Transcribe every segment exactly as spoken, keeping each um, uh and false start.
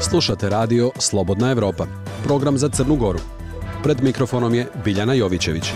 Slušate radio Slobodna Evropa, program za Crnu Goru. Pred mikrofonom je Biljana Jovićević.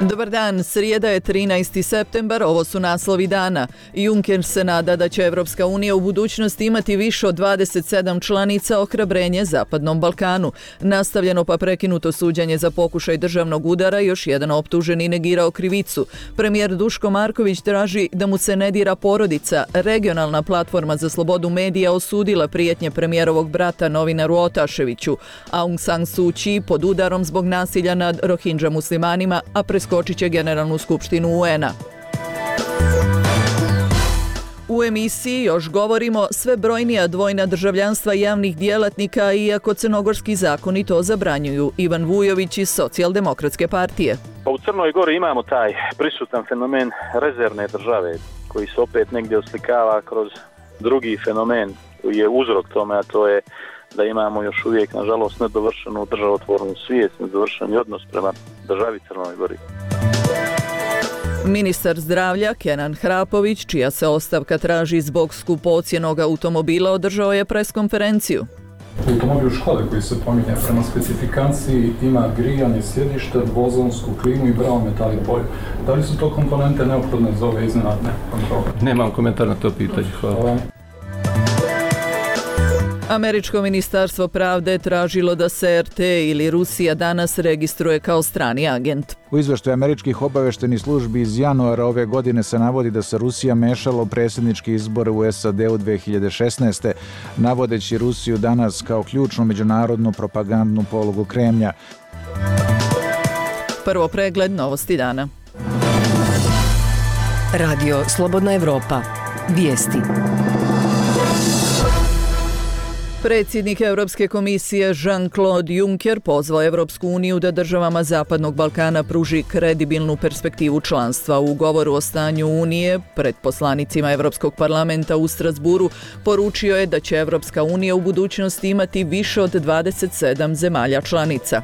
Dobar dan, srijeda je trinaesti septembar, ovo su naslovi dana. Juncker se nada da će Evropska unija u budućnosti imati više od dvadeset sedam članica, ohrabrenje Zapadnom Balkanu. Nastavljeno pa prekinuto suđenje za pokušaj državnog udara, još jedan optuženi negirao krivicu. Premijer Duško Marković traži da mu se ne dira porodica. Regionalna platforma za slobodu medija osudila prijetnje premijerovog brata novinaru Otaševiću. Aung San Suu Kyi pod udarom zbog nasilja nad Rohingya muslimanima, a preskočit će Generalnu skupštinu U N-a. U emisiji još govorimo sve brojnija dvojna državljanstva javnih djelatnika, iako crnogorski zakoni to zabranjuju. Ivan Vujović iz Socijaldemokratske partije. U Crnoj Gori imamo taj prisutan fenomen rezervne države, koji se opet negdje oslikava kroz drugi fenomen koji je uzrok tome, a to je da imamo još uvijek, nažalost, nedovršenu državotvornu svijest, nedovršeni odnos prema državi Crnoj Gori. Ministar zdravlja Kenan Hrapović, čija se ostavka traži zbog skupocjenog automobila, održao je preskonferenciju. Automobil škole koji se pominje prema specifikaciji ima grijanje sjedište, dvozonsku klimu i brown metallic boju. Da li su to komponente neophodne za ove iznenadne kontrole? Nemam komentar na to pitanje. Hvala. Hvala. Američko ministarstvo pravde tražilo da se R T ili Rusija danas registruje kao strani agent. U izveštaju američkih obaveštenih službi iz januara ove godine se navodi da se Rusija mešala u predsjedničke izbore u S A D-u dve hiljade šesnaeste. navodeći Rusiju danas kao ključnu međunarodnu propagandnu polugu Kremlja. Prvo pregled novosti dana. Radio Slobodna Evropa. Vijesti. Predsjednik Europske komisije Jean-Claude Juncker pozvao Evropsku uniju da državama Zapadnog Balkana pruži kredibilnu perspektivu članstva. U govoru o stanju Unije pred poslanicima Europskog parlamenta u Strasburu poručio je da će Evropska unija u budućnosti imati više od dvadeset sedam zemalja članica.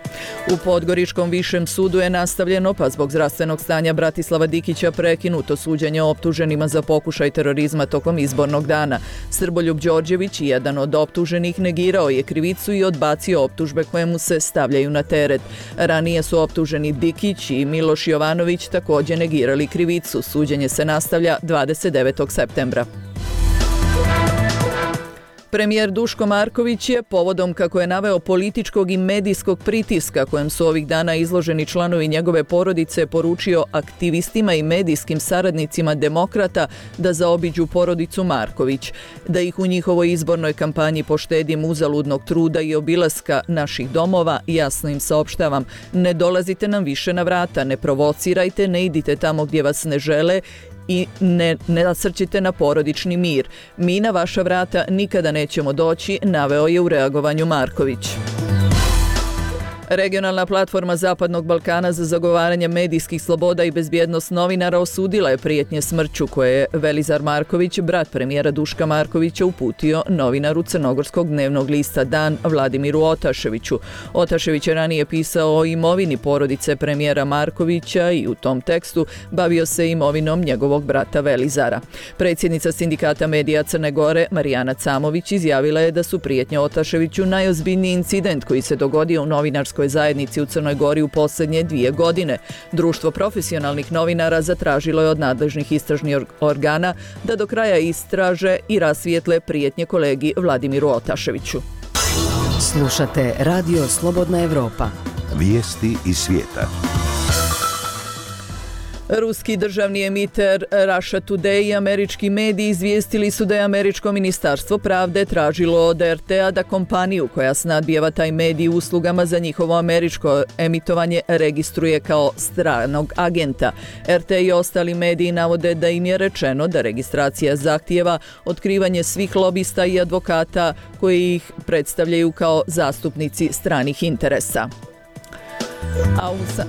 U Podgoričkom višem sudu je nastavljeno, pa zbog zdravstvenog stanja Bratislava Dikića prekinuto suđenje optuženima za pokušaj terorizma tokom izbornog dana. Srboljub Đorđević, jedan od optuženih, negirao je krivicu i odbacio optužbe koje mu se stavljaju na teret. Ranije su optuženi Dikić i Miloš Jovanović također negirali krivicu. Suđenje se nastavlja dvadeset devetog septembra. Premijer Duško Marković je, povodom, kako je naveo, političkog i medijskog pritiska kojem su ovih dana izloženi članovi njegove porodice, poručio aktivistima i medijskim saradnicima demokrata da zaobiđu porodicu Marković, da ih u njihovoj izbornoj kampanji poštedim uzaludnog truda i obilaska naših domova. Jasno im saopštavam: ne dolazite nam više na vrata, ne provocirajte, ne idite tamo gdje vas ne žele i ne, ne nasrćite na porodični mir. Mi na vaša vrata nikada nećemo doći, naveo je u reagovanju Marković. Regionalna platforma Zapadnog Balkana za zagovaranje medijskih sloboda i bezbjednost novinara osudila je prijetnje smrću koje je Velizar Marković, brat premijera Duška Markovića, uputio novinaru crnogorskog dnevnog lista Dan Vladimiru Otaševiću. Otašević je ranije pisao o imovini porodice premijera Markovića i u tom tekstu bavio se imovinom njegovog brata Velizara. Predsjednica Sindikata medija Crne Gore Marijana Camović izjavila je da su prijetnje Otaševiću najozbiljniji incident koji se dogodio u novinarskoj zajednici u Crnoj Gori u posljednje dvije godine. Društvo profesionalnih novinara zatražilo je od nadležnih istražnih organa da do kraja istraže i rasvijetle prijetnje kolegi Vladimiru Otaševiću. Slušate Radio Slobodna Evropa. Vijesti iz svijeta. Ruski državni emiter Russia Today i američki mediji izvijestili su da je američko ministarstvo pravde tražilo od R T-a da kompaniju koja snadbijeva taj medij uslugama za njihovo američko emitovanje registruje kao stranog agenta. R T i ostali mediji navode da im je rečeno da registracija zahtijeva otkrivanje svih lobista i advokata koji ih predstavljaju kao zastupnici stranih interesa. A u sa...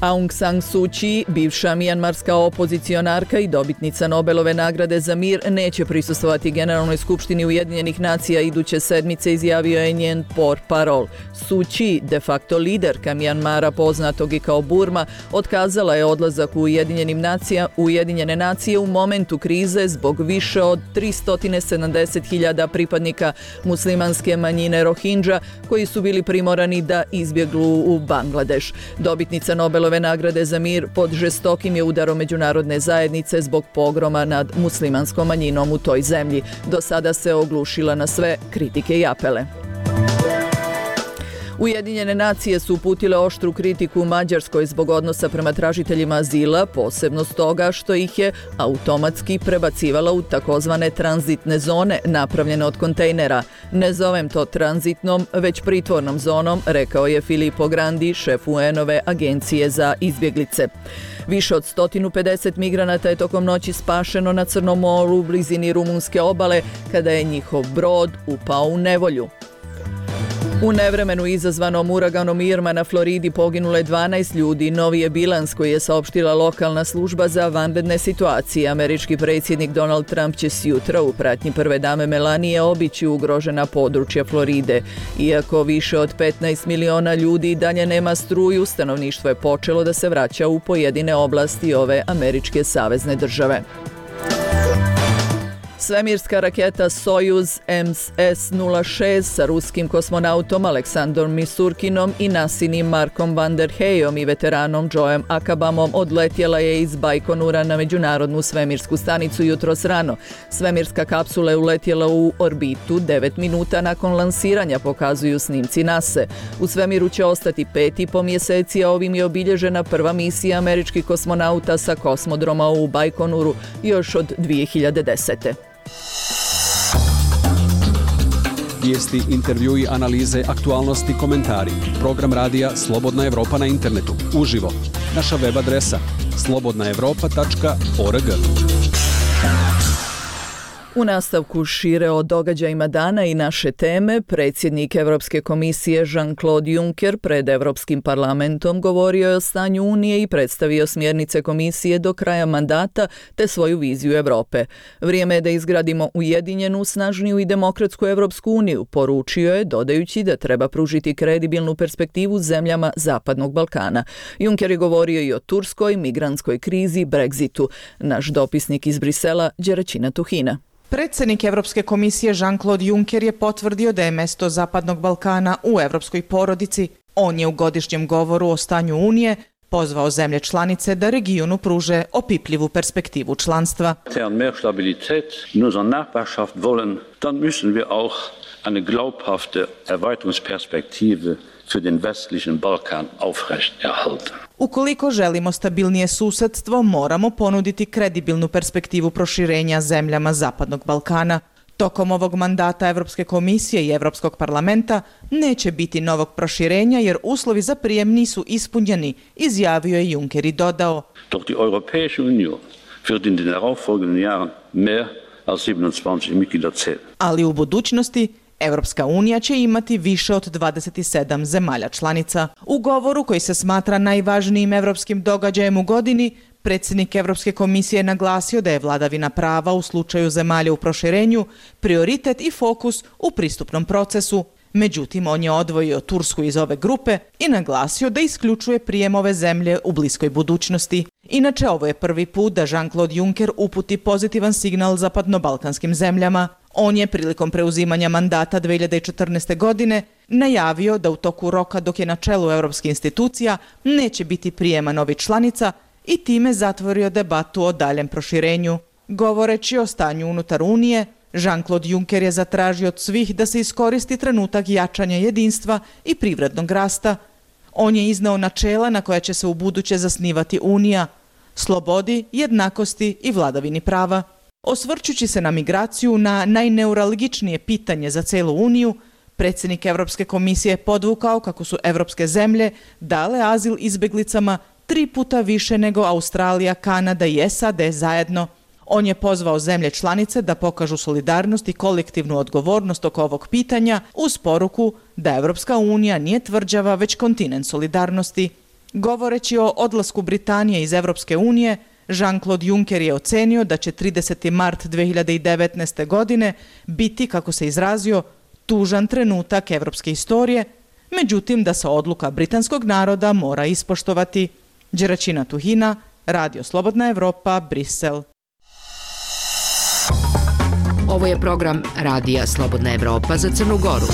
Aung San Suu Kyi, bivša mijanmarska opozicionarka i dobitnica Nobelove nagrade za mir, neće prisustvovati Generalnoj skupštini Ujedinjenih nacija iduće sedmice, izjavio je njen portparol. Suu Kyi, de facto liderka Mijanmara poznatog i kao Burma, otkazala je odlazak u Ujedinjenim nacija, Ujedinjene nacije u momentu krize zbog više od tristo sedamdeset hiljada pripadnika muslimanske manjine Rohingya koji su bili primorani da izbjeglu u Bangladeš. Dobitnica Nobelove nagrade za mir pod žestokim je udarom međunarodne zajednice zbog pogroma nad muslimanskom manjinom u toj zemlji. Do sada se oglušila na sve kritike i apele. Ujedinjene nacije su uputile oštru kritiku Mađarskoj zbog odnosa prema tražiteljima azila, posebno stoga što ih je automatski prebacivala u takozvane tranzitne zone napravljene od kontejnera. Ne zovem to tranzitnom, već pritvornom zonom, rekao je Filippo Grandi, šef U N-ove agencije za izbjeglice. Više od sto pedeset migranata je tokom noći spašeno na Crnom moru u blizini rumunske obale kada je njihov brod upao u nevolju. U nevremenu izazvanom uraganom Irma na Floridi poginulo je dvanaest ljudi. Novi je bilans koji je saopštila lokalna služba za vanredne situacije. Američki predsjednik Donald Trump će sjutra u pratnji prve dame Melanije obići ugrožena područja Floride. Iako više od petnaest miliona ljudi dalje nema struju, stanovništvo je počelo da se vraća u pojedine oblasti ove američke savezne države. Svemirska raketa Sojuz M S nula šest sa ruskim kosmonautom Aleksandrom Misurkinom i nasinim Markom van der Heyom i veteranom Joeom Akabamom odletjela je iz Bajkonura na međunarodnu svemirsku stanicu jutros rano. Svemirska kapsula je uletjela u orbitu devet minuta nakon lansiranja, pokazuju snimci nase. U svemiru će ostati pet i po mjeseci, a ovim je obilježena prva misija američkih kosmonauta sa kosmodroma u Bajkonuru još od dvije hiljade desete. Vijesti, intervjui, analize, aktualnosti, komentari. Program radija Slobodna Evropa na internetu. Uživo. Naša web adresa slobodna evropa tačka org. U nastavku šire o događajima dana i naše teme, predsjednik Europske komisije Jean-Claude Juncker pred Europskim parlamentom govorio je o stanju Unije i predstavio smjernice komisije do kraja mandata te svoju viziju Europe. Vrijeme je da izgradimo ujedinjenu, snažniju i demokratsku Europsku uniju, poručio je, dodajući da treba pružiti kredibilnu perspektivu zemljama Zapadnog Balkana. Juncker je govorio i o turskoj, migrantskoj krizi, Brexitu. Naš dopisnik iz Brisela, Đeračina Tuhina. Predsjednik Europske komisije Jean-Claude Juncker je potvrdio da je mjesto Zapadnog Balkana u europskoj porodici. On je u godišnjem govoru o stanju Unije pozvao zemlje članice da regionu pruže opipljivu perspektivu članstva. Mehr Stabilität in unserer Nachbarschaft wollen, dann müssen wir auch eine glaubhafte Erweiterungsperspektive für den westlichen Balkan aufrechterhalten. Ukoliko želimo stabilnije susjedstvo, moramo ponuditi kredibilnu perspektivu proširenja zemljama Zapadnog Balkana. Tokom ovog mandata Europske komisije i Europskog parlamenta neće biti novog proširenja jer uslovi za prijem nisu ispunjeni, izjavio je Juncker i dodao. Doch die Europäische Union wird in den darauffolgenden Jahren mehr als siebenundzwanzig Mitglieder zählen. Ali u budućnosti Europska unija će imati više od dvadeset sedam zemalja članica. U govoru koji se smatra najvažnijim europskim događajem u godini, predsjednik Europske komisije je naglasio da je vladavina prava u slučaju zemalja u proširenju prioritet i fokus u pristupnom procesu. Međutim, on je odvojio Tursku iz ove grupe i naglasio da isključuje prijem ove zemlje u bliskoj budućnosti. Inače, ovo je prvi put da Jean-Claude Juncker uputi pozitivan signal zapadnobalkanskim zemljama. On je prilikom preuzimanja mandata dvije hiljade četrnaeste. godine najavio da u toku roka dok je na čelu europskih institucija neće biti prijema novih članica i time zatvorio debatu o daljem proširenju. Govoreći o stanju unutar Unije, Jean-Claude Juncker je zatražio od svih da se iskoristi trenutak jačanja jedinstva i privrednog rasta. On je izneo načela na koja će se ubuduće zasnivati Unija, slobodi, jednakosti i vladavini prava. Osvrćući se na migraciju, na najneuralgičnije pitanje za celu Uniju, predsjednik Europske komisije je podvukao kako su europske zemlje dale azil izbjeglicama tri puta više nego Australija, Kanada i S A D zajedno. On je pozvao zemlje članice da pokažu solidarnost i kolektivnu odgovornost oko ovog pitanja uz poruku da Europska unija nije tvrđava već kontinent solidarnosti. Govoreći o odlasku Britanije iz Evropske unije, Jean-Claude Juncker je ocenio da će trideseti mart dve hiljade devetnaeste. godine biti, kako se izrazio, tužan trenutak evropske istorije, međutim da se odluka britanskog naroda mora ispoštovati. Đeračina Tuhina, Radio Slobodna Evropa, Brisel. Ovo je program Radija Slobodna Evropa za Crnu Goru.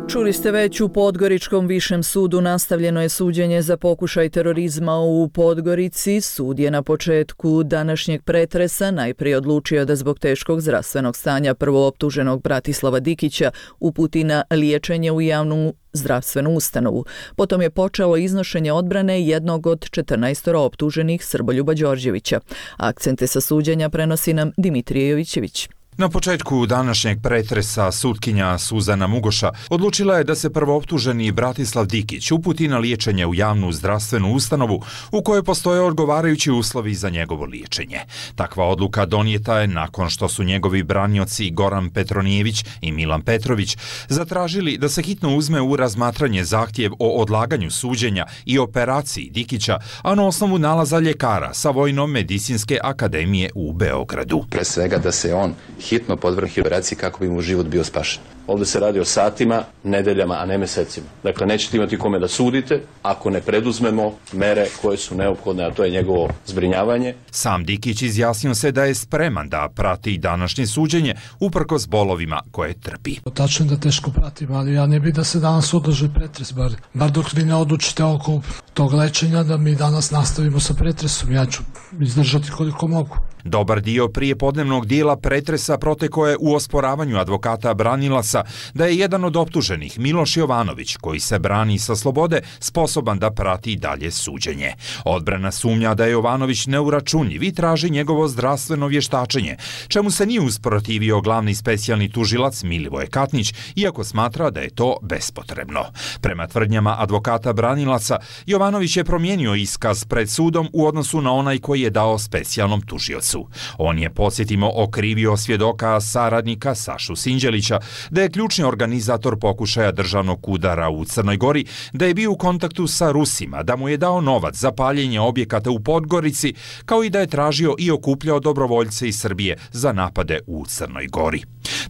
Čuli ste već, u Podgoričkom višem sudu nastavljeno je suđenje za pokušaj terorizma u Podgorici. Sud je na početku današnjeg pretresa najprije odlučio da zbog teškog zdravstvenog stanja prvooptuženog Bratislava Dikića uputi na liječenje u javnu zdravstvenu ustanovu. Potom je počelo iznošenje odbrane jednog od četrnaestoro optuženih, Srboljuba Đorđevića. Akcente sa suđenja prenosi nam Dimitrije Jovićević. Na početku današnjeg pretresa sutkinja Suzana Mugoša odlučila je da se prvooptuženi Bratislav Dikić uputi na liječenje u javnu zdravstvenu ustanovu u kojoj postoje odgovarajući uslovi za njegovo liječenje. Takva odluka donijeta je nakon što su njegovi branioci Goran Petronijević i Milan Petrović zatražili da se hitno uzme u razmatranje zahtjev o odlaganju suđenja i operaciji Dikića, a na osnovu nalaza ljekara sa Vojno-medicinske akademije u Beogradu. Pre svega da se on hitno podvrgne operaciji kako bi mu život bio spašen. Ovdje se radi o satima, nedeljama, a ne mesecima. Dakle, nećete imati kome da sudite ako ne preduzmemo mere koje su neophodne, a to je njegovo zbrinjavanje. Sam Dikić izjasnio se da je spreman da prati današnje suđenje uprkos bolovima koje trpi. Tačno da teško pratim, ali ja ne bih da se danas održi pretres, bar, bar dok vi ne odlučite oko tog lečenja da mi danas nastavimo sa pretresom. Ja ću izdržati koliko mogu. Dobar dio prijepodnevnog dijela pretresa protekao je u osporavanju advokata branilaca da je jedan od optuženih, Miloš Jovanović, koji se brani sa slobode, sposoban da prati dalje suđenje. Odbrana sumnja da je Jovanović neuračunljiv i traži njegovo zdravstveno vještačenje, čemu se nije usprotivio glavni specijalni tužilac Milivoje Katnić, iako smatra da je to bespotrebno. Prema tvrdnjama advokata branilaca, Jovanović je promijenio iskaz pred sudom u odnosu na onaj koji je dao specijalnom tužiocu. On je, podsjetimo, okrivio svjedoka saradnika Sašu Sinđelića da je ključni organizator pokušaja državnog udara u Crnoj Gori, da je bio u kontaktu sa Rusima, da mu je dao novac za paljenje objekata u Podgorici, kao i da je tražio i okupljao dobrovoljce iz Srbije za napade u Crnoj Gori.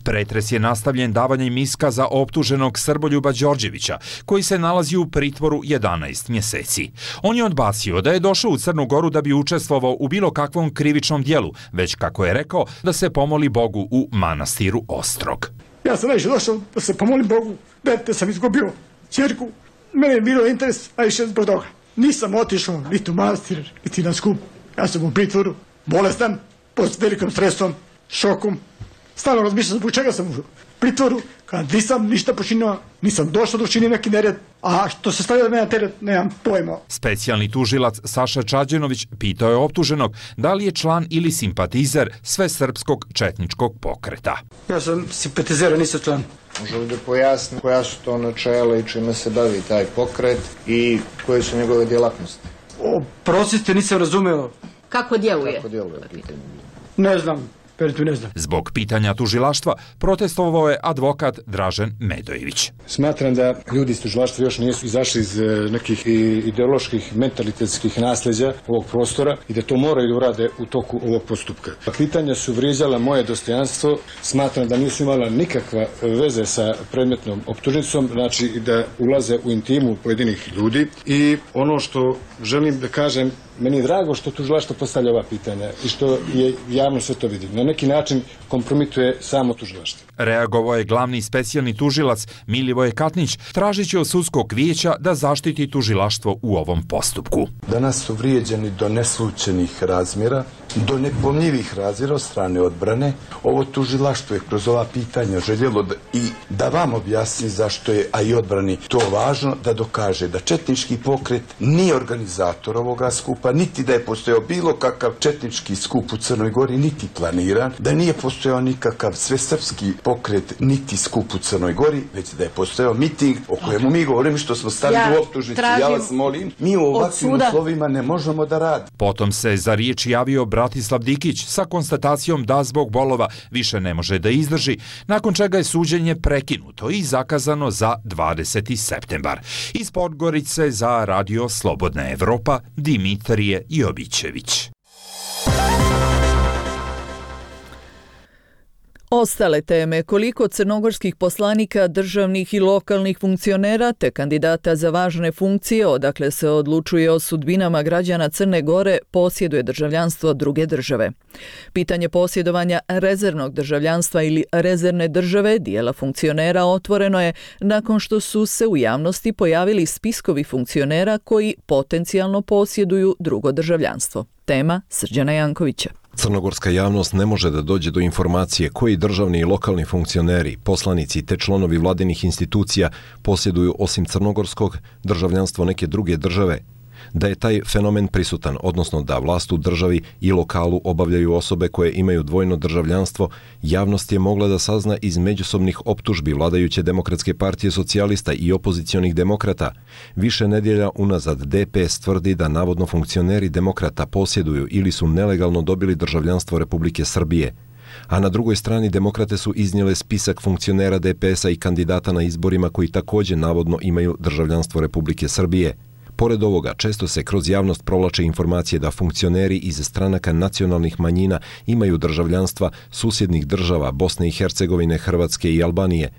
Pretres je nastavljen davanjem iskaza optuženog Srboljuba Đorđevića, koji se nalazi u pritvoru jedanaest mjeseci. On je odbacio da je došao u Crnu Goru da bi učestvovao u bilo kakvom krivičnom djelu, već, kako je rekao, da se pomoli Bogu u manastiru Ostrog. Ja sam najviše došao da se pomolim Bogu, dete sam izgubio, ćerku, mene je bilo interes, a više zbog toga. Nisam otišao niti u manastir, niti na skup. Ja sam u pritvoru, bolestan, pod velikom stresom, šokom. Stalno razmišljam zbog čega sam u pritvoru, kad nisam ništa počinio, nisam došao da učinim neki nered, a što se stavlja da mene teret, nemam pojma. Specijalni tužilac Saša Čađenović pitao je optuženog da li je član ili simpatizer svesrpskog četničkog pokreta. Ja sam simpatizer, nisam član. Može li da pojasni koja su to načela i čime se bavi taj pokret i koje su njegove djelatnosti? Oprostite, nisam razumeo. Kako djeluje? Kako djeluje, pitanje. Ne znam. Ne znam. Zbog pitanja tužilaštva protestovao je advokat Dražen Medojević. Smatram da ljudi iz tužilaštva još nisu izašli iz nekih ideoloških, mentalitetskih nasljeđa ovog prostora i da to moraju da urade u toku ovog postupka. Pitanja su vrijeđala moje dostojanstvo, smatram da nisu imala nikakva veze sa predmetnom optužnicom, znači da ulaze u intimu pojedinih ljudi i ono što želim da kažem, meni je drago što tužilaštvo postavlja ova pitanja i što je javno sve to vidi. Na neki način kompromituje samo tužilaštvo. Reagovao je glavni specijalni tužilac Milivoje Katnić, tražići od sudskog vijeća da zaštiti tužilaštvo u ovom postupku. Danas su vrijeđani do neslućenih razmjera, do nepomljivih razmjera od strane odbrane. Ovo tužilaštvo je kroz ova pitanja željelo da, i da vam objasni zašto je, a i odbrani, to važno da dokaže da četnički pokret nije organizator ovoga skupa, niti da je postojao bilo kakav četnički skup u Crnoj Gori, niti planiran, da nije postojao nikakav svesrpski pokret, niti skup u Crnoj Gori, već da je postojao miting o kojemu mi govorimo što smo stavili ja u optužnicu. Ja vas molim, mi u ovakvim uslovima ne možemo da radimo. Potom se za riječ javio brat Bratislav Dikić sa konstatacijom da zbog bolova više ne može da izdrži, nakon čega je suđenje prekinuto i zakazano za dvadeseti septembar. Iz Podgorice za Radio Slobodna Evropa, Dimitrije Jovićević. Ostale teme, koliko crnogorskih poslanika, državnih i lokalnih funkcionera te kandidata za važne funkcije, odakle se odlučuje o sudbinama građana Crne Gore, posjeduje državljanstvo druge države. Pitanje posjedovanja rezervnog državljanstva ili rezervne države dijela funkcionera otvoreno je nakon što su se u javnosti pojavili spiskovi funkcionera koji potencijalno posjeduju drugo državljanstvo. Tema Srđana Jankovića. Crnogorska javnost ne može da dođe do informacije koji državni i lokalni funkcioneri, poslanici te članovi vladinih institucija posjeduju osim crnogorskog državljanstvo neke druge države. Da je taj fenomen prisutan, odnosno da vlast u državi i lokalu obavljaju osobe koje imaju dvojno državljanstvo, javnost je mogla da sazna iz međusobnih optužbi vladajuće Demokratske partije socijalista i opozicionih demokrata. Više nedjelja unazad D P S tvrdi da navodno funkcioneri demokrata posjeduju ili su nelegalno dobili državljanstvo Republike Srbije. A na drugoj strani demokrate su iznijele spisak funkcionera D P S-a i kandidata na izborima koji također navodno imaju državljanstvo Republike Srbije. Pored ovoga, često se kroz javnost provlače informacije da funkcioneri iz stranaka nacionalnih manjina imaju državljanstva susjednih država Bosne i Hercegovine, Hrvatske i Albanije.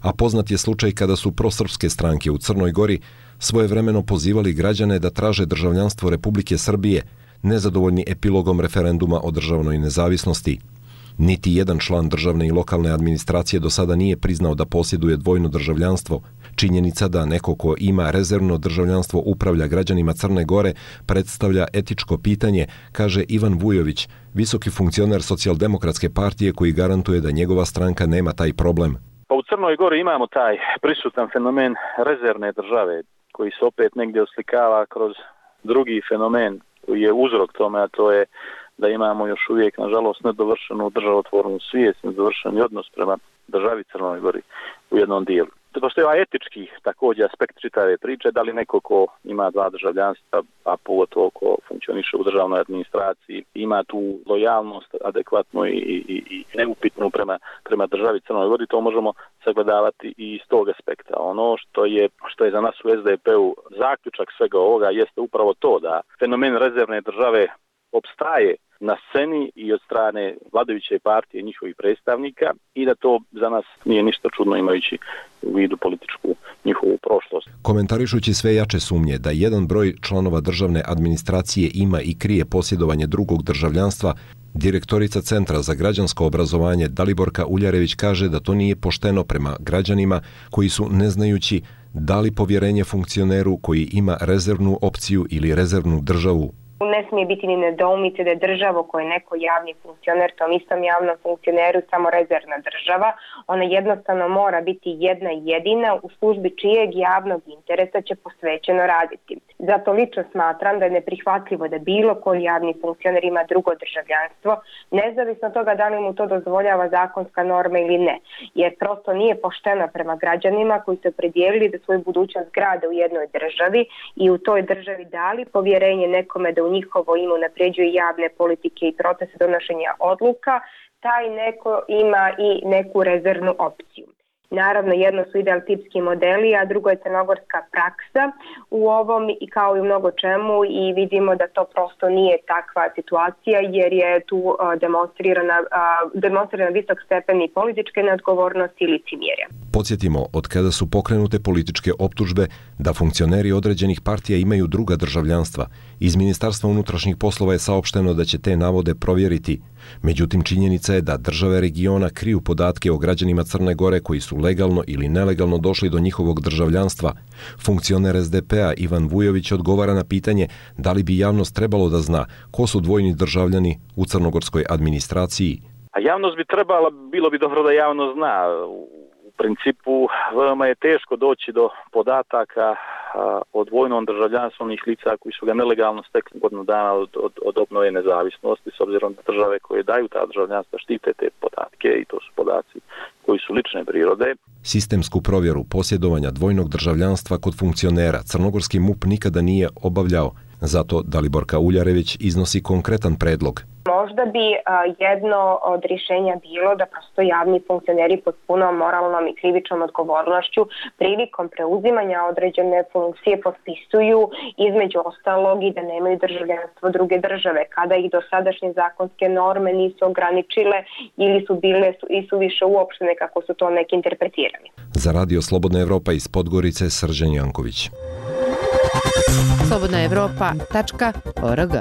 A poznat je slučaj kada su prosrpske stranke u Crnoj Gori svojevremeno pozivali građane da traže državljanstvo Republike Srbije, nezadovoljni epilogom referenduma o državnoj nezavisnosti. Niti jedan član državne i lokalne administracije do sada nije priznao da posjeduje dvojno državljanstvo. Činjenica da neko ko ima rezervno državljanstvo upravlja građanima Crne Gore predstavlja etičko pitanje, kaže Ivan Vujović, visoki funkcioner Socijaldemokratske partije koji garantuje da njegova stranka nema taj problem. Pa u Crnoj Gori imamo taj prisutan fenomen rezervne države koji se opet negdje oslikava kroz drugi fenomen koji je uzrok tome, a to je da imamo još uvijek, nažalost, nedovršenu državotvornu svijest, nedovršeni odnos prema državi Crnoj Gori u jednom dijelu. Postoji ovaj etički također aspekt čitave priče, da li neko ko ima dva državljanstva, a pogotovo ko funkcioniše u državnoj administraciji, ima tu lojalnost adekvatnu i, i, i neupitnu prema, prema državi Crnoj Gori, to možemo sagledavati i iz tog aspekta. Ono što je, što je za nas u S D P-u zaključak svega ovoga jeste upravo to da fenomen rezervne države opstaje na sceni i od strane vladajuće partije i njihovih predstavnika i da to za nas nije ništa čudno imajući u vidu političku njihovu prošlost. Komentarišući sve jače sumnje da jedan broj članova državne administracije ima i krije posjedovanje drugog državljanstva, direktorica Centra za građansko obrazovanje Daliborka Uljarević kaže da to nije pošteno prema građanima koji su, ne znajući, dali povjerenje funkcioneru koji ima rezervnu opciju ili rezervnu državu. Ne smije biti ni nedoumice da je država koja je neko javni funkcioner, tom istom javnom funkcioneru samo rezervna država. Ona jednostavno mora biti jedna jedina u službi čijeg javnog interesa će posvećeno raditi. Zato lično smatram da je neprihvatljivo da bilo koji javni funkcioner ima drugo državljanstvo, nezavisno od toga da li mu to dozvoljava zakonska norma ili ne. Jer prosto nije pošteno prema građanima koji su opredijelili da svoju budućnost grade u jednoj državi i u toj državi dali povjerenje nekome da u njihovo ime unapređuje javne politike i procese donošenja odluka, taj neko ima i neku rezervnu opciju. Naravno, jedno su ideal tipski modeli, a drugo je crnogorska praksa u ovom i kao i u mnogo čemu i vidimo da to prosto nije takva situacija jer je tu demonstrirana, demonstrirana visok stepen i političke neodgovornosti i licemjerja. Podsjetimo, od kada su pokrenute političke optužbe da funkcioneri određenih partija imaju druga državljanstva, iz Ministarstva unutrašnjih poslova je saopšteno da će te navode provjeriti. Međutim, činjenica je da države regiona kriju podatke o građanima Crne Gore koji su legalno ili nelegalno došli do njihovog državljanstva. Funkcioner S D P-a Ivan Vujović odgovara na pitanje da li bi javnost trebalo da zna ko su dvojni državljani u crnogorskoj administraciji. A javnost bi trebala, bilo bi dobro da javnost zna. U principu veoma je teško doći do podataka o dvojnom državljanstvu onih lica koji su ga nelegalno stekli godinu dana od, od, od obnove nezavisnosti, s obzirom da države koje daju ta državljanstva štite te podatke i to su podaci koji su lične prirode. Sistemsku provjeru posjedovanja dvojnog državljanstva kod funkcionera crnogorski M U P nikada nije obavljao. Zato Daliborka Uljarević iznosi konkretan predlog. Možda bi a, jedno od rješenja bilo da prosto javni funkcioneri pod punom moralnom i krivičnom odgovornošću prilikom preuzimanja određene funkcije potpisuju između ostalog i da nemaju državljanstvo druge države, kada ih dosadašnje zakonske norme nisu ograničile ili su bile su, i su više uopštene kako su to neki interpretirani. Za Radio Slobodna Evropa iz Podgorice, Srđan Janković. slobodna evropa tačka org.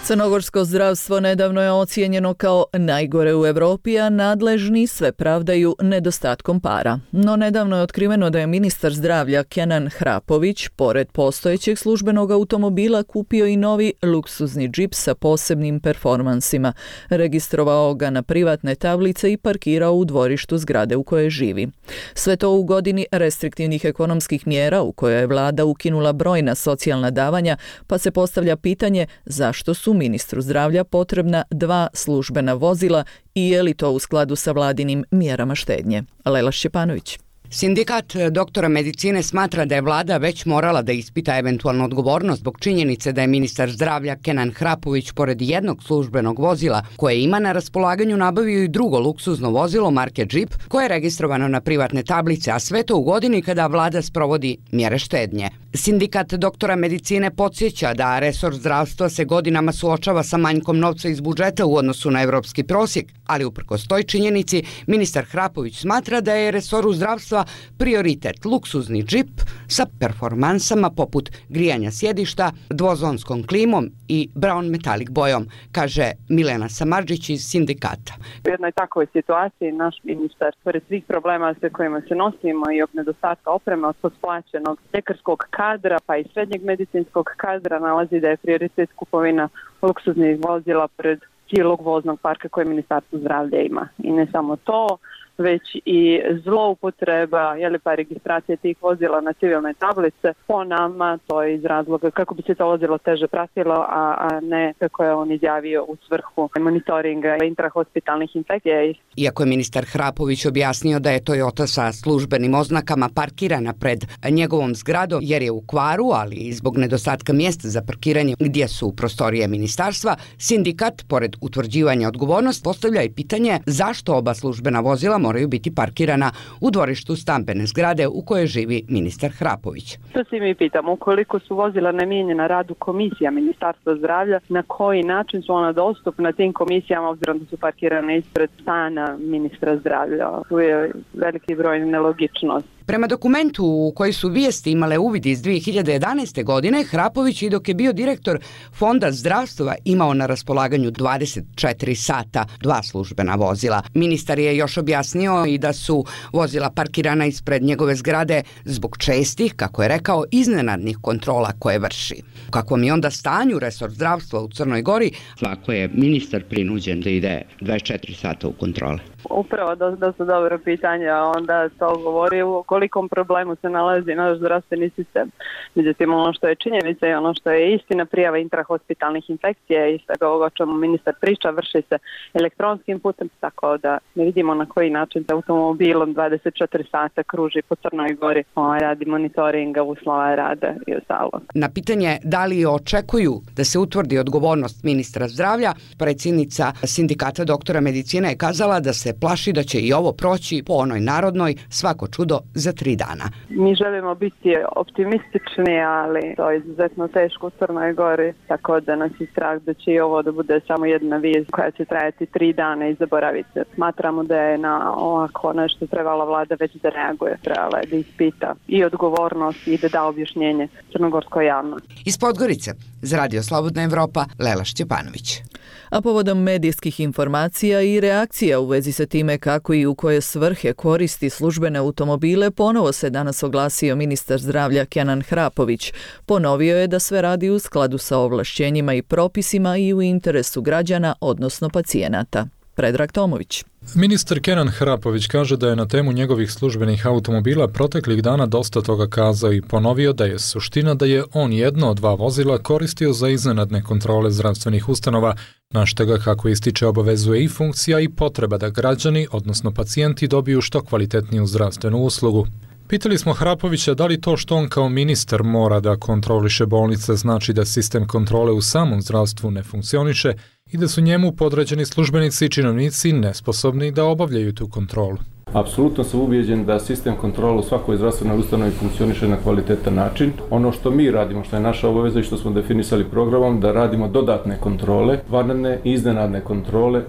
Crnogorsko zdravstvo nedavno je ocijenjeno kao najgore u Europi, a nadležni sve pravdaju nedostatkom para. No nedavno je otkriveno da je ministar zdravlja Kenan Hrapović, pored postojećeg službenog automobila, kupio i novi luksuzni džip sa posebnim performansima. Registrovao ga na privatne tablice i parkirao u dvorištu zgrade u kojoj živi. Sve to u godini restriktivnih ekonomskih mjera u kojoj je vlada ukinula brojna socijalna davanja, pa se postavlja pitanje zašto su ministru zdravlja potrebna dva službena vozila i je li to u skladu sa vladinim mjerama štednje. Lela Šćepanović. Sindikat doktora medicine smatra da je vlada već morala da ispita eventualnu odgovornost zbog činjenice da je ministar zdravlja Kenan Hrapović pored jednog službenog vozila koje ima na raspolaganju nabavio i drugo luksuzno vozilo marke Jeep koje je registrovano na privatne tablice, a sve to u godini kada vlada sprovodi mjere štednje. Sindikat doktora medicine podsjeća da resor zdravstva se godinama suočava sa manjkom novca iz budžeta u odnosu na evropski prosjek, ali uprkos toj činjenici ministar Hrapović smatra da je resoru zdravstva prioritet luksuzni džip sa performansama poput grijanja sjedišta, dvozonskom klimom i brown metalik bojom, kaže Milena Samardžić iz sindikata. U jednoj takvoj situaciji naš ministar, pored svih problema sa kojima se nosimo i od nedostatka opreme, od posplaćenog ljekarskog kadra pa i srednjeg medicinskog kadra, nalazi da je prioritet kupovina luksuznih vozila pred cijelog voznog parka koje Ministarstvo zdravlja ima. I ne samo to, već i zloupotreba je li pa registracije tih vozila na civilne tablice. Po nama to je iz razloga kako bi se to vozilo teže pratilo, a, a ne kako je on izjavio u svrhu monitoringa intrahospitalnih infekcija. Iako je ministar Hrapović objasnio da je Toyota sa službenim oznakama parkirana pred njegovom zgradom jer je u kvaru, ali i zbog nedostatka mjesta za parkiranje gdje su prostorije ministarstva, sindikat, pored utvrđivanja odgovornosti, postavlja i pitanje zašto oba službena vozila moraju biti parkirana u dvorištu stambene zgrade u kojoj živi ministar Hrapović. To se mi pitamo, ukoliko su vozila namijenjena radu komisija Ministarstva zdravlja, na koji način su ona dostupna tim komisijama obzirom da su parkirane ispred stana ministra zdravlja. Tu je veliki broj nelogičnosti. Prema dokumentu u koji su vijesti imale uvid iz dvije hiljade jedanaeste. godine, Hrapović i dok je bio direktor Fonda zdravstva imao na raspolaganju dvadeset četiri sata dva službena vozila. Ministar je još objasnio i da su vozila parkirana ispred njegove zgrade zbog čestih, kako je rekao, iznenadnih kontrola koje vrši. U kakvom je onda stanju resor zdravstva u Crnoj Gori? Ako je ministar prinuđen da ide dvadeset četiri sata u kontrole? Upravo da, da su dobro pitanja, onda to govori u kolikom problemu se nalazi naš zdravstveni sistem. Međutim, ono što je činjenica i ono što je istina, prijava intrahospitalnih infekcija i svega ovoga o čemu ministar priča vrši se elektronskim putem, tako da ne vidimo na koji način se automobilom dvadeset četiri sata kruži po Crnoj Gori, radi monitoringa, uslova rada i ostalog. Na pitanje da li očekuju da se utvrdi odgovornost ministra zdravlja, predsjednica sindikata doktora medicine je kazala da se plaši da će i ovo proći po onoj narodnoj svako čudo za tri dana. Mi želimo biti optimistični, ali to je izuzetno teško u Crnoj Gori, tako da nas je strah da će i ovo da bude samo jedna vijest koja će trajati tri dana i zaboraviti. Smatramo da je na ovako nešto trebala vlada već da reaguje, trebala je da ispita i odgovornost i da da objašnjenje crnogorskoj javnosti. Iz Podgorice, za Radio Slobodna Evropa, Lela Šćepanović. A povodom medijskih informacija i reakcija u vezi sa time kako i u koje svrhe koristi službene automobile, ponovo se danas oglasio ministar zdravlja Kenan Hrapović. Ponovio je da sve radi u skladu sa ovlašćenjima i propisima i u interesu građana, odnosno pacijenata. Predrag Tomović. Ministar Kenan Hrapović kaže da je na temu njegovih službenih automobila proteklih dana dosta toga kazao i ponovio da je suština da je on jedno od dva vozila koristio za iznenadne kontrole zdravstvenih ustanova, na što ga, kako ističe, obavezuje i funkcija i potreba da građani, odnosno pacijenti, dobiju što kvalitetniju zdravstvenu uslugu. Pitali smo Hrapovića da li to što on kao ministar mora da kontroliše bolnice znači da sistem kontrole u samom zdravstvu ne funkcioniše i da su njemu podređeni službenici i činovnici nesposobni da obavljaju tu kontrolu. Apsolutno sam ubijeđen da sistem kontrole u svakoj zdravstvenoj ustanovi funkcioniše na kvalitetan način. Ono što mi radimo, što je naša obaveza i što smo definisali programom, da radimo dodatne kontrole, vanredne i iznenadne kontrole,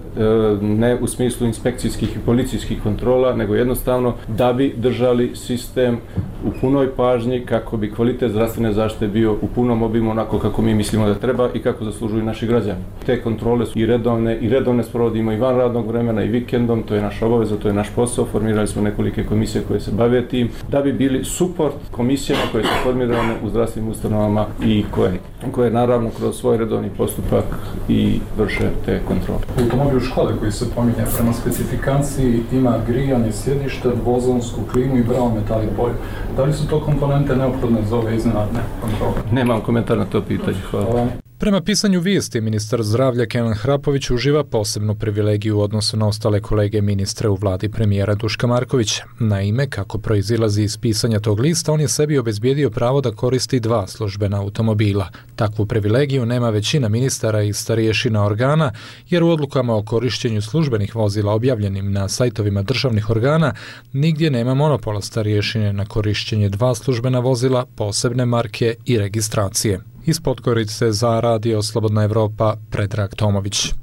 ne u smislu inspekcijskih i policijskih kontrola, nego jednostavno da bi držali sistem u punoj pažnji kako bi kvalitet zdravstvene zaštite bio u punom obimu onako kako mi mislimo da treba i kako zaslužuju naši građani. Te kontrole su i redovne, i redovne sprovodimo i van radnog vremena i vikendom, to je naša obaveza, to je naš posao. Formirali smo nekolike komisije koje se bave tim, da bi bili suport komisijama koje su formirane u zdravstvenim ustanovama i koje, koje naravno kroz svoj redovni postupak i vrše te kontrole. Automobil škole koji se pominje prema specifikaciji ima grijanje sjedišta, dvozonsku klimu i brown metal i boju. Da li su to komponente neophodne za ove iznenadne kontrole? Nemam komentar na to pitanje. Hvala. Hvala. Prema pisanju vijesti, ministar zdravlja Kenan Hrapović uživa posebnu privilegiju u odnosu na ostale kolege ministre u vladi premijera Duška Markovića. Naime, kako proizilazi iz pisanja tog lista, on je sebi obezbijedio pravo da koristi dva službena automobila. Takvu privilegiju nema većina ministara i starješina organa, jer u odlukama o korištenju službenih vozila objavljenim na sajtovima državnih organa nigdje nema monopola starješine na korištenje dva službena vozila, posebne marke i registracije. Iz Podgorice za Radio Slobodna Evropa, Predrag Tomović.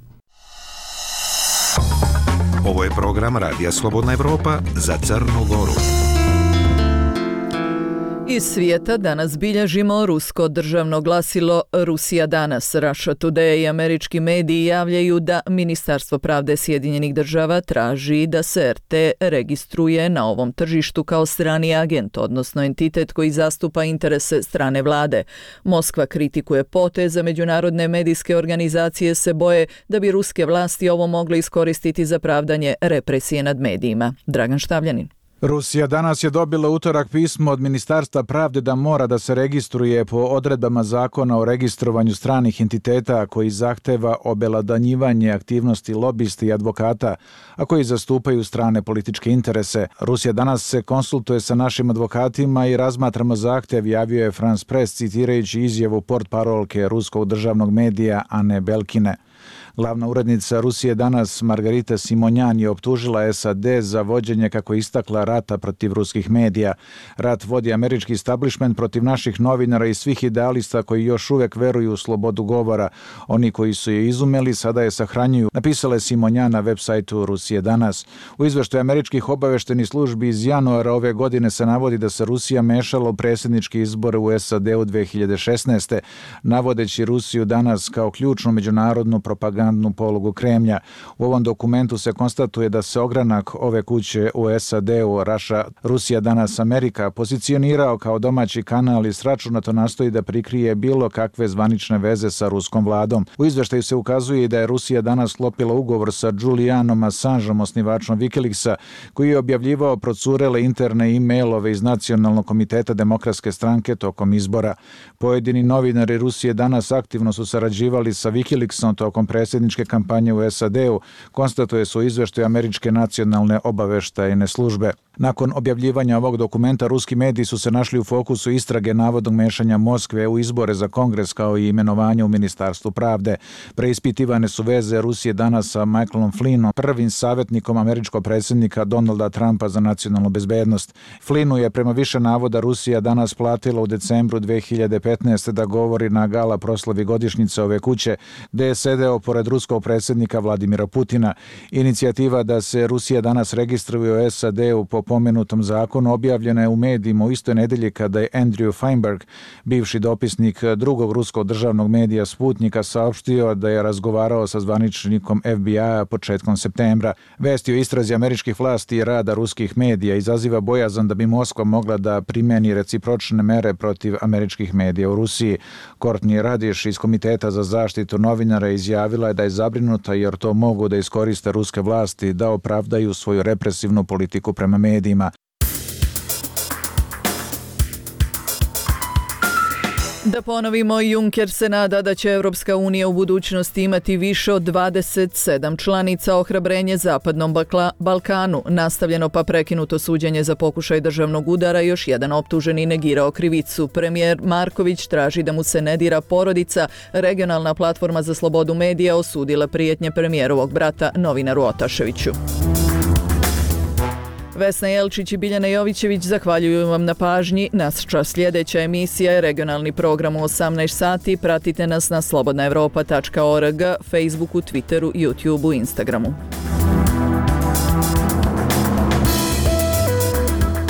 Ovo je program Radija Slobodna Evropa za Crnu Goru. Iz svijeta danas bilježimo rusko državno glasilo Rusija danas. Russia Today i američki mediji javljaju da Ministarstvo pravde Sjedinjenih država traži da se er te registruje na ovom tržištu kao strani agent, odnosno entitet koji zastupa interese strane vlade. Moskva kritikuje potez, a međunarodne medijske organizacije se boje da bi ruske vlasti ovo mogle iskoristiti za pravdanje represije nad medijima. Dragan Štavljanin. Rusija danas je dobila utorak pismo od Ministarstva pravde da mora da se registruje po odredbama zakona o registrovanju stranih entiteta koji zahteva obelodanjivanje aktivnosti lobisti i advokata, a koji zastupaju strane političke interese. Rusija danas se konsultuje sa našim advokatima i razmatramo zahtev, javio je France Press citirajući izjavu portparolke ruskog državnog medija Ane Belkine. Glavna urednica Rusije danas Margarita Simonjan je optužila es a de za vođenje, kako je istakla, rata protiv ruskih medija. Rat vodi američki establishment protiv naših novinara i svih idealista koji još uvijek veruju u slobodu govora. Oni koji su je izumeli sada je sahranjuju, napisala je Simonjan na web sajtu Rusije danas. U izveštaju američkih obaveštenih službi iz januara ove godine se navodi da se Rusija mešala u predsjedničke izbore u es a de u dve hiljade šesnaeste. navodeći Rusiju danas kao ključnu međunarodnu propagandnu polugu Kremlja. U ovom dokumentu se konstatuje da se ogranak ove kuće u es a de-u Raša, Rusija danas Amerika pozicionirao kao domaći kanal i sračunato nastoji da prikrije bilo kakve zvanične veze sa ruskom vladom. U izveštaju se ukazuje i da je Rusija danas sklopila ugovor sa Julianom Assangeom, osnivačom Wikileaksa, koji je objavljivao procurele interne e-mailove iz Nacionalnog komiteta Demokratske stranke tokom izbora. Pojedini novinari Rusije danas aktivno su sarađivali sa Wikileaksom tokom predsjedničke kampanje u es a de-u, konstatuje se u izveštaju američke nacionalne obaveštajne službe. Nakon objavljivanja ovog dokumenta, ruski mediji su se našli u fokusu istrage navodnog mešanja Moskve u izbore za kongres kao i imenovanja u Ministarstvu pravde. Preispitivane su veze Rusije danas sa Michaelom Flynnom, prvim savjetnikom američkog predsjednika Donalda Trumpa za nacionalnu bezbednost. Flynnu je prema više navoda Rusija danas platila u decembru dve hiljade petnaeste. da govori na gala proslavi godišnjice ove kuće, gde je sedeo pored ruskog predsjednika Vladimira Putina. Inicijativa da se Rusija danas registruje u es a de-u po pomenutom zakonu objavljena je u medijima u istoj nedelji kada je Andrew Feinberg, bivši dopisnik drugog ruskog državnog medija Sputnika, saopštio da je razgovarao sa zvaničnikom ef bi a početkom septembra. Vesti o istrazi američkih vlasti i rada ruskih medija izaziva bojazan da bi Moskva mogla da primjeni recipročne mere protiv američkih medija u Rusiji. Courtney Radish iz Komiteta za zaštitu novinara izjavila je da je zabrinuta jer to mogu da iskoriste ruske vlasti da opravdaju svoju represivnu politiku prema medijima. Da ponovimo, Juncker se nada da će Europska unija u budućnosti imati više od dvadeset sedam članica. Ohrabrenje Zapadnom Balkanu, nastavljeno pa prekinuto suđenje za pokušaj državnog udara, još jedan optuženi negirao krivicu. Premijer Marković traži da mu se ne dira porodica. Regionalna platforma za slobodu medija osudila prijetnje premijerovog brata novinaru Otaševiću. Vesna Jelčić i Biljana Jovićević zahvaljuju vam na pažnji. Naša sljedeća emisija je regionalni program u osamnaest sati. Pratite nas na slobodna evropa tačka org, Facebooku, Twitteru, YouTubeu, Instagramu.